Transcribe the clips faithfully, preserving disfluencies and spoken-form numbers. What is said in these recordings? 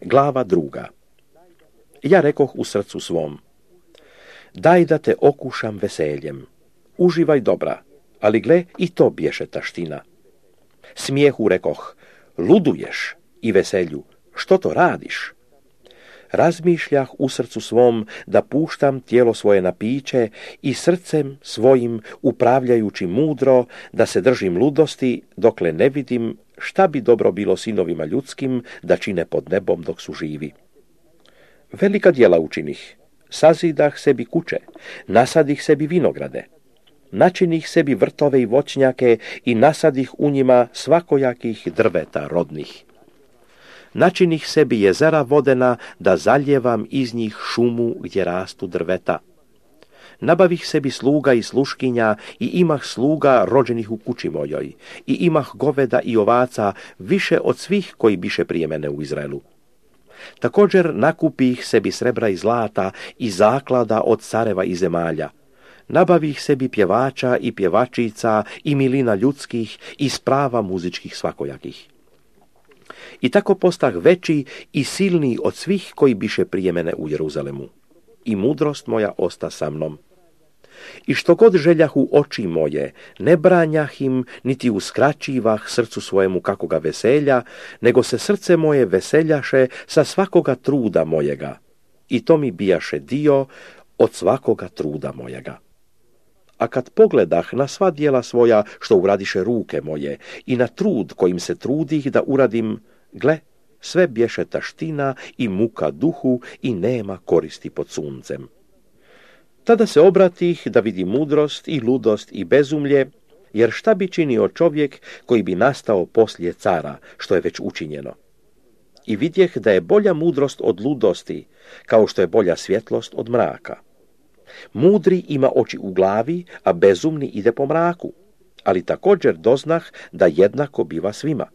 Glava druga. Ja rekoh u srcu svom, daj da te okušam veseljem, uživaj dobra, ali gle, i to bješe taština. Smijehu rekoh, luduješ, i veselju, što to radiš? Razmišljah u srcu svom da puštam tijelo svoje na piće i srcem svojim upravljajući mudro da se držim ludosti dokle ne vidim šta bi dobro bilo sinovima ljudskim da čine pod nebom dok su živi. Velika djela učinih, sazidah sebi kuće, nasadih sebi vinograde, načinih sebi vrtove i voćnjake i nasadih u njima svakojakih drveta rodnih. Načinih sebi jezera vodena da zaljevam iz njih šumu gdje rastu drveta. Nabavih sebi sluga i sluškinja i imah sluga rođenih u kući mojoj i imah goveda i ovaca više od svih koji biše prije mene u Izraelu. Također nakupih sebi srebra i zlata i zaklada od careva i zemalja. Nabavih sebi pjevača i pjevačica i milina ljudskih i sprava muzičkih svakojakih. I tako postah veći i silniji od svih koji biše prije mene u Jeruzalemu. I mudrost moja osta sa mnom. I što god željahu oči moje, ne branjah im, niti uskraćivah srcu svojemu kakoga veselja, nego se srce moje veseljaše sa svakoga truda mojega. I to mi bijaše dio od svakoga truda mojega. A kad pogledah na sva djela svoja što uradiše ruke moje i na trud kojim se trudih da uradim, gle, sve bješe taština i muka duhu i nema koristi pod suncem. Tada se obratih da vidi mudrost i ludost i bezumlje, jer šta bi činio čovjek koji bi nastao poslije cara, što je već učinjeno. I vidjeh da je bolja mudrost od ludosti, kao što je bolja svjetlost od mraka. Mudri ima oči u glavi, a bezumni ide po mraku, ali također doznah da jednako biva svima.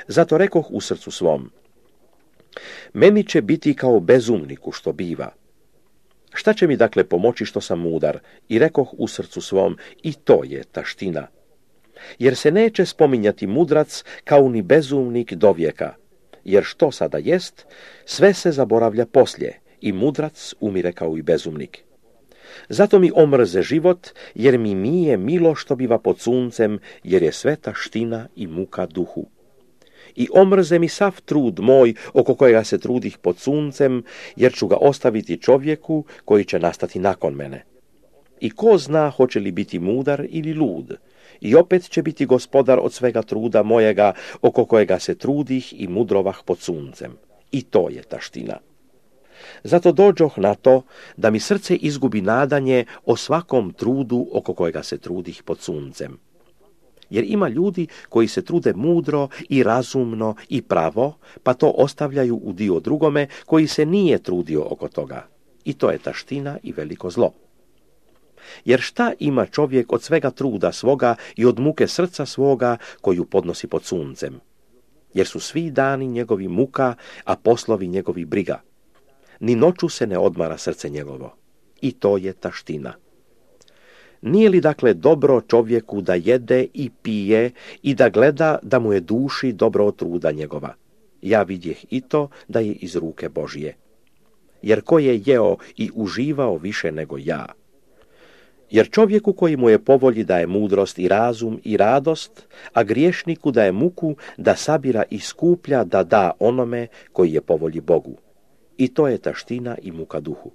Zato rekoh u srcu svom, meni će biti kao bezumniku što biva. Šta će mi dakle pomoći što sam mudar? I rekoh u srcu svom, i to je taština. Jer se neće spominjati mudrac kao ni bezumnik dovijeka, jer što sada jest, sve se zaboravlja poslije i mudrac umire kao i bezumnik. Zato mi omrze život, jer mi nije milo što biva pod suncem, jer je sve taština i muka duhu. I omrze mi sav trud moj, oko kojega se trudih pod suncem, jer ću ga ostaviti čovjeku koji će nastati nakon mene. I ko zna hoće li biti mudar ili lud, i opet će biti gospodar od svega truda mojega, oko kojega se trudih i mudrovah pod suncem. I to je taština. Zato dođoh na to da mi srce izgubi nadanje o svakom trudu oko kojega se trudih pod suncem. Jer ima ljudi koji se trude mudro i razumno i pravo, pa to ostavljaju u dio drugome koji se nije trudio oko toga. I to je taština i veliko zlo. Jer šta ima čovjek od svega truda svoga i od muke srca svoga koju podnosi pod suncem? Jer su svi dani njegovi muka, a poslovi njegovi briga. Ni noću se ne odmara srce njegovo. I to je taština. Nije li dakle dobro čovjeku da jede i pije i da gleda da mu je duši dobro od truda njegova? Ja vidjeh i to da je iz ruke Božije. Jer ko je jeo i uživao više nego ja? Jer čovjeku koji mu je po volji daje mudrost i razum i radost, a griješniku daje muku da sabira i skuplja da da onome koji je po volji Bogu. I to je taština i muka duhu.